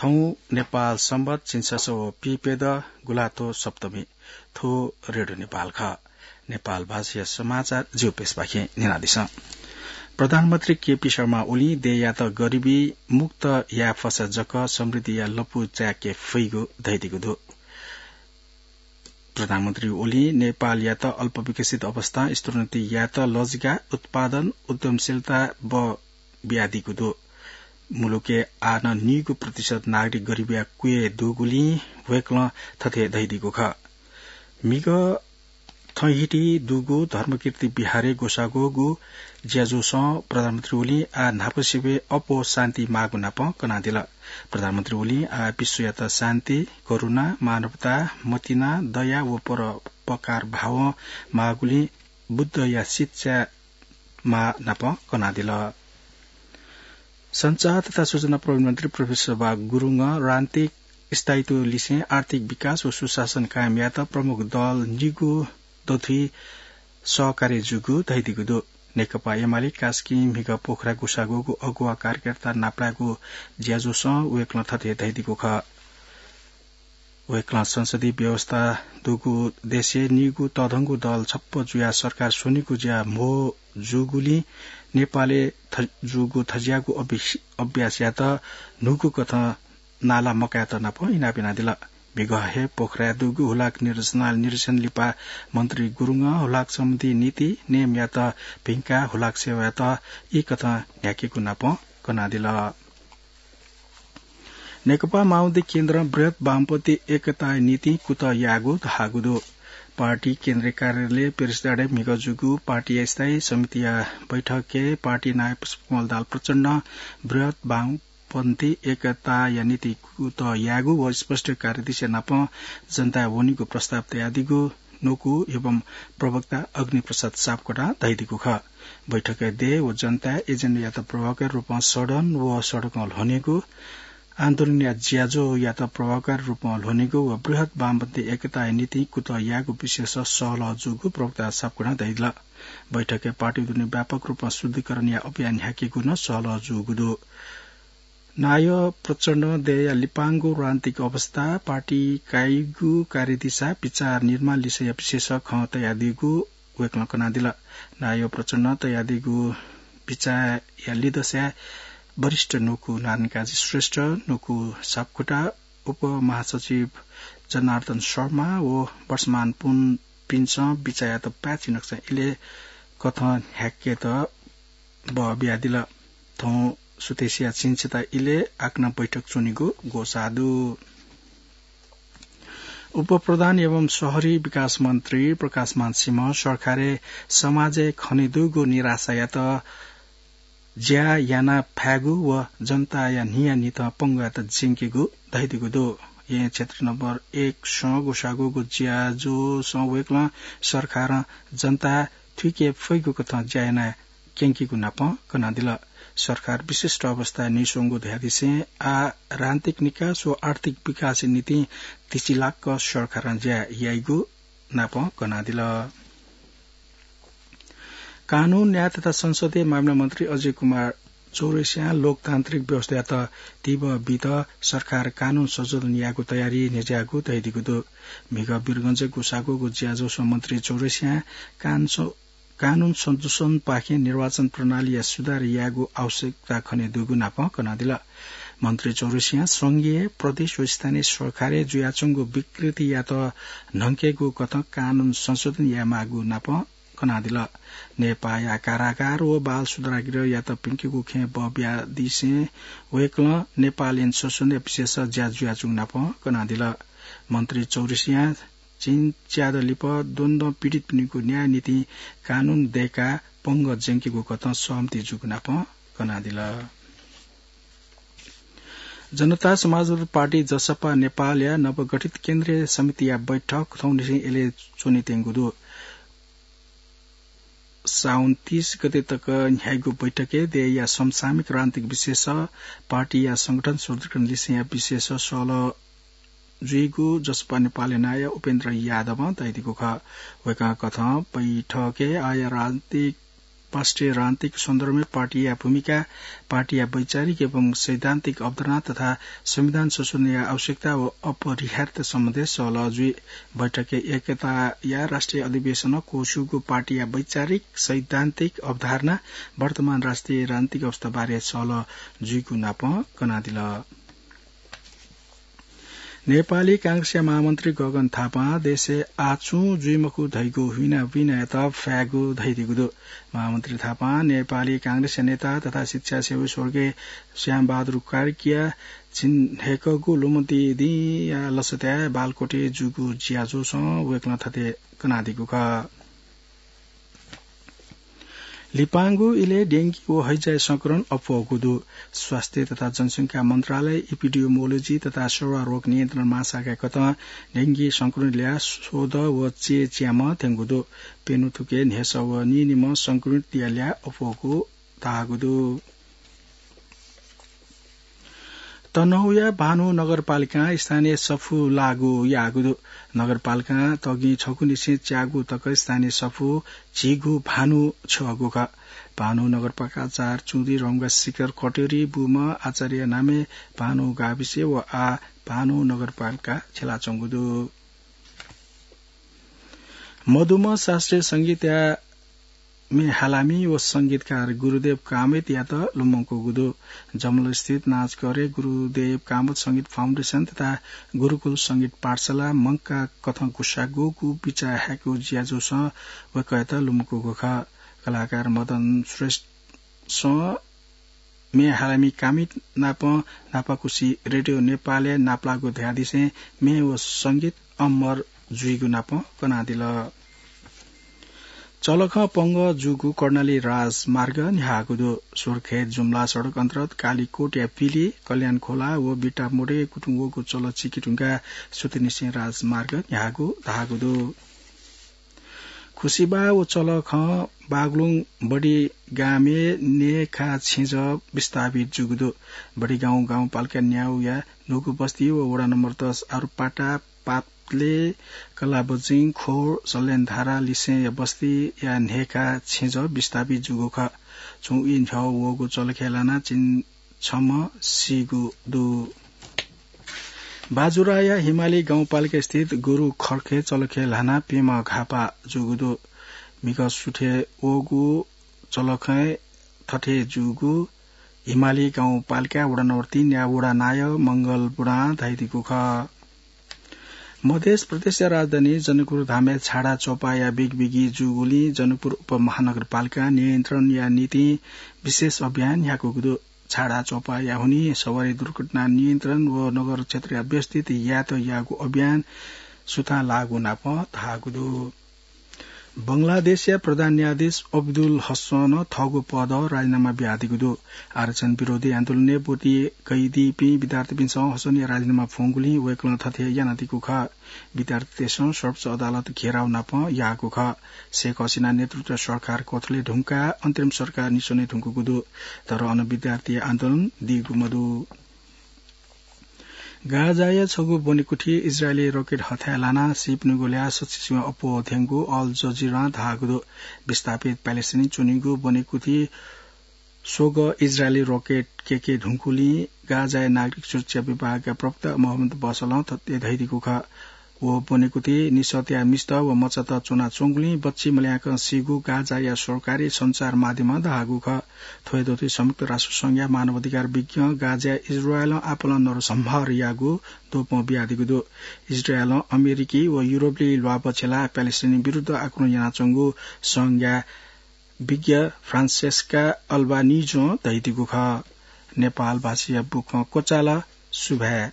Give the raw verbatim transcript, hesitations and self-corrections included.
थौं नेपाल संवत झिंछसः व पीप्यदँ गुंलाथ्व सप्तमी। थ्व रेडियो नेपाल खः। नेपाल भाषाया समाचार ज्यू प्रेसपाखें न्यनादिसँ। प्रधानमन्त्री केपी शर्मा ओलीं देय्‌यात गरिबी मुक्त याये फसा जक समृद्धिया लँपु चाय्‌के फइगु धयादीगु दु। प्रधानमन्त्री ओलीं नेपालयात अल्पविकसित अवस्थां स्तरोन्नति यायेत लजिका, उत्पादन, उद्यमशीलता बः बियादीगु दु। मुलुकय् आः नं निगू प्रतिशत नागरिक गरिबया क्वय् दुगुलिं वय्‌कलं थथे धयादीगु खः। म्हिगः थँहिति दुगु धर्मकीर्ति विहारय् ग्वसाः ग्वःगु ज्याझ्वलय् प्रधानमन्त्री ओलीं आः न्हापासिबय् अप्वः शान्ति माःगु नापं कनादिल। प्रधानमन्त्री ओलीं आः विश्वयात शान्ति, करुणा, मानवता, मतिना, दया व परोपकार भावं माःगुलिं बुद्धया शिक्षा माः नापं कनादिल। सञ्चार तथा सूचना प्रविधि मन्त्री प्रोफेसर बाः गुरुङं राजनीतिक स्थायित्व लिसें आर्थिक विकास व सुशासन कायम यायेत प्रमुख दल निगू दथुइ सहकार्य जूगु धयादीगु दु। नेकपा एमाले कास्की म्हिगः पोखरा ग्वसाः ग्वःगु अगुवा कार्यकर्ता नापलायेगु ज्याझ्वलय् वय्‌कलं थथे धयादीगु खः। वय्‌कलं संसदीय व्यवस्था दुगु देशय् निगू तःधंगु दल छप्पँ जुयाः सरकार स्वनेगु ज्या म्हो जूगुलिं नेपालय् थ-, जूगु थज्याःगु अभि-, अभ्यासयात न्हूगु कथं नाला मकायेत नापं इनाप यानादिल। म्हिगः हे पोखराय् दुगु हुलाक निर्देशनालय निरीक्षण लिपा मन्त्री गुरुङं हुलाक सम्बन्धी नीति नेमयात भिंकाः हुलाक सेवायात ई कथं न्ह्याकेगु नापं कनादिल। नेकपा माओवादी केन्द्रं बृहत् वामपन्थी एकताया निंतिं कुतः याःगु धाःगु दु। पार्टी केन्द्रीय कार्यालय पेरिसडाँडाय् म्हिगः जूगु पार्टीया स्थायी समितिया बैठकय् पार्टी नायः पुष्पकमल दाहाल प्रचण्डं बृहत् वामपन्थी एकताया निंतिं कुतः याःगु व स्पष्ट कार्यदिशा नापं जनताय् वनीगु प्रस्ताव तयादीगु न्वकू एवं प्रवक्ता अग्निप्रसाद सापकोटां धयादीगु खः। बैठकय् देय् व जनताय् एजेन्डायात प्रभावकारी रूपं सडन व सडकं ल्ह्वनेगु, आन्दोलनया ज्याझ्वःयात प्रभावकारी रूपं ल्ह्वनेगु व बृहत् वामपन्थी एकताया निंतिं कुतः याःगु विषयस सहलह जूगु प्रवक्ता सापकोटां धयादिल। बैठकय् पार्टी दुने व्यापक रूपं शुद्धिकरणया अभियान न्ह्याकेगु नं सहलह जूगु दु। नायः प्रचण्डं देय्‌या लिपांगु राजनीतिक अवस्था, पार्टी काइगु कार्यदिशा, विचार निर्माण लिसेया विषयस खँ तयादीगु वय्‌कलं कनादिल। नायः प्रचण्डं तयादीगु विचारया लिदँसाय् वरिष्ठ न्वकू नारायणकाजी श्रेष्ठ, न्वकू सापकोटा, उपमहासचिव जनार्दन शर्मा व वर्षमान पुनपिन्सं विचारयात पाय्‌छि नकचा इलय् कथं न्ह्याकेत बः बियादिल। थौं सुथसिया झिंछता इलय् आकनं बैठक च्वनेगु ग्वसाः दु। उपप्रधान एवं शहरी विकास मन्त्री प्रकाशमान सिंहं सरकारय् समाजय् खनेदुगु निराशायात ज्या याना फायेगु व जनताया न्हियान्हिथं पंगःयात ज्यंकेगु धयादीगु दु। यें क्षेत्र नम्बर एकसं ग्वसाः ग्वःगु ज्याझ्वलय् वय्‌कलं सरकारं जनताय् थुइके फइगु कथं ज्या याना क्यंकेगु नापं कनादिल। सरकार विशिष्ट अवस्थाय् न्ह्याच्वंगु धयादिसें आः राजनीतिक निकास व आर्थिक विकासया निंतिं तिसिलाक्क सरकारं ज्या याइगु नापं कनादिल। कानून, न्याय तथा संसदीय मामिला मन्त्री अजय कुमार चौरसियां लोकतान्त्रिक व्यवस्थायात तिबः बीत सरकार कानून संशोधन यायेगु तयारी न्ह्यज्याःगु धयादीगु दु। म्हिगः वीरगंजय् ग्वसाः ग्वःगु ज्याझ्वलय् मन्त्री चौरसियां कान-, कानून संशोधनपाखें निर्वाचन प्रणालीया सुधार यायेगु आवश्यकता खनेदुगु नापं कनादिल। मन्त्री चौरसियां संघीय, प्रदेश व स्थानीय सरकारय् जुयाच्वंगु विकृतियात न्हंकेगु कथं कानून संशोधन यायेमाःगु नापं कनादिल। नेपाःया कारागार व बाल सुधारगृहयात प्यंकेगु खँय् बः बियादिसें वय्‌कलं नेपाल ऐन संशोधनया विषयस ज्या जुयाच्वंगु नापं कनादिल। मन्त्री चौरसियां झिंच्यादँ लिपा द्वन्द्वं पीडितपिनिगु न्याय निंतिं कानून दय्‌काः पंगः ज्यंकेगु कथं सहमति जूगु नापं कनादिल। जनता समाजवादी पार्टी, जसपा नेपालया नवगठित केन्द्रीय समितिया बैठक थौंनिसें इलय् च्वनेत्यंगु दु। साउन तीस गते तक न्ह्याइगु बैठकय् देय्‌या समसामयिक राजनीतिक विषयस, पार्टीया संगठन सुदृढीकरण लिसेया विषयस सहलह जुइगु जसपा नेपालया नायः उपेन्द्र यादवं धयादीगु खः। वय्‌कः कथं बैठकय् आःया राजनीतिक पार्श्वराजनीतिक सन्दर्भमा पार्टीया भूमिका, पार्टीया वैचारिक एवं सैद्धान्तिक अवधारणा तथा संविधान संशोधनया आवश्यकता व अपरिहार्यता सम्बन्धी सहलह जुइ। बैठकय् एकताया राष्ट्रिय अधिवेशनं क्वःछिउगु पार्टीया वैचारिक सैद्धान्तिक अवधारणा, वर्तमान राष्ट्रिय राजनीतिक अवस्थाबारे सहलह जुइगु नापं कनादिल। नेपाली कांग्रेसया महामन्त्री गगन थापां देशय् आः छुं जुइमखु धइगु हुइना हुइनायात फ्यागु धयादीगु दु। महामन्त्री थापां नेपाली कांग्रेसया नेता तथा शिक्षासेवी स्वर्गीय श्यामबहादुर कार्कीया झिंन्हय्‌कःगु लुमन्ति दिंया लसताय् बालकोटय् जूगु ज्याझ्वलय् वय्‌कलं थथे कनादीगु खः। लिपांगु इलय् डेंगी व हैजाय् संक्रमण अप्वःगु दु। स्वास्थ्य तथा जनसंख्या मन्त्रालय, इपिडियोमोलोजी तथा सेवा रोग नियन्त्रण महाशाखा कथं डेंगी संक्रमितया स्वदँ व चय्‌च्याम्ह थ्यंगु दु। प्यन्हु थुके न्हय्‌सः व नीनिम्ह संक्रमितया ल्याः अप्वःगु धाःगु दु। तनहुँया भानु नगरपालिकां स्थानीय सफू लागू याःगु दु। नगरपालिकां तगिं छगूनिसें च्यागू तक स्थानीय सफू झीगू भानु छ्यःगु खः। भानु नगरपालिका चार चुँदी रम्गा शिखर कटेरी बुम्ह आचार्य नामे भानु गाविस व आः भानु नगरपालिका छ्यलाच्वंगु दु। मदुम्ह शास्त्रीय संगीतया म्ये हालामि व संगीतकार गुरुदेव कामतयात लुमंकूगु दु। जमलस्थित नाचघरय् गुरुदेव कामत संगीत फाउन्डेसन तथा गुरुकुल संगीत पाठशाला मंकाः कथं गुसागूगु बिचाः हायेगु ज्याझ्वलय् वय्‌कःयात लुमंकूगु खः। कलाकार मदन श्रेष्ठं म्ये हालामि कामत नाप नापाकुसी रेडियो नेपालय् नापलाःगु धयादिसें म्ये व संगीत अमर जुइगु नाप कनादिल। चलखं पंगः जूगु कर्णाली राजमार्ग न्ह्याःगु दु। सोरखय् जुम्ला सडक अन्तर्गत कालीकोटया पिलि, कल्याण खोला व बिटामोडे कुतुं वःगु चलः चिके धुंकाः सुथनिसें राजमार्ग न्ह्याःगु धाःगु दु। खुसिबाः व चलखं बागलुङ बडिगामय् न्हय्‌खा छेँजः विस्थापित जूगु दु। बडिगाउँ गाउँपालिका न्याउया न्हूगु बस्ती व वडा नम्बर दस आरुपाटा, पातले, कलाबजिङ, खोर, सल्यानधारा लिसेंया बस्तीया न्हय्‌खा छेँजः विस्थापित जूगु खः। छुं ई न्ह्यः वःगु चलखय् लानाः चिं छम्ह सीगु दु। बाजुराया हिमाली गाउँपालिका स्थित गुरु खर्खे चलखय् ल्हानाः प्यम्ह घाःपाः जूगु दु। म्हिगः सुथय् वःगु चलखय् थथे जूगु हिमाली गाउँपालिका वडा नम्बर तीन या वडा नायः मंगल बुढां धयादीगु खः। मधेस प्रदेशया राजधानी जनकपुर धामय् छाडा च्वपाया बिगबिगी जूगुलिं जनकपुर उपमहानगरपालिकां नियन्त्रणया निंतिं विशेष अभियान न्ह्याकूगु दु। छाडा च्वपाया हुनिं सवारी दुर्घटना नियन्त्रण व नगर क्षेत्रया व्यवस्थित यातायातयागु अभियान सुथां लाःगु नाप धाःगु दु। बंगलादेशया प्रधान न्यायाधीश अब्दुल हसनं थःगु पदं राजीनामा बियादीगु दु। आरक्षण विरोधी आन्दोलनय् ब्वति कयादीपिं विद्यार्थीपिन्सं हसनया राजीनामा फ्वंगुलिं वय्‌कलं थथे यानादीगु खः। विद्यार्थीतय्‌सं सर्वोच्च अदालत घेराउ नाप याःगु खः। शेख हसिना नेतृत्वया सरकार क्वथले धुंकाः अन्तरिम सरकार निस्वने धुंकूगु दु। तर अन विद्यार्थी आन्दोलन दीगु मदु। गाजाया छगू ब्वनेकुथि इजरायली रकेट हथाय् लानाः सीपिनिगु ल्याः सछिसिवं अप्वः थ्यंगु अल जजिरां धाःगु दु। विस्थापित प्यालेस्टाइनी च्वनीगु ब्वनेकुथि स्वगः इजरायली रकेट कय्के धुंकूलिं गाजाया नागरिक सुरक्षा विभागया प्रवक्ता मोहम्मद बसलं थथे धयादीगु खः। व ब्वनेकुथि निसःतया मिस्त व मचात च्वनाच्वंगुलिं बच्छि मल्याकं सीगु गाजाया सरकारी सञ्चार माध्यमं धाःगु खः। थ्व हे दथुइ संयुक्त राष्ट्र संघया मानवाधिकार विज्ञं गाजाय् इजरायलं आपालं नरसंहार याःगु द्वपं बियादीगु दु। इजरायलं अमेरिकी व युरोपली ल्वाभः छ्यलाः प्यालेस्टाइन विरुद्ध आक्रमण यानाच्वंगु संघया विज्ञ फ्रान्सेस्का अल्बानिजों धयादीगु खः। नेपाल भाषाया बुखँ क्वचाल। सुभाय्।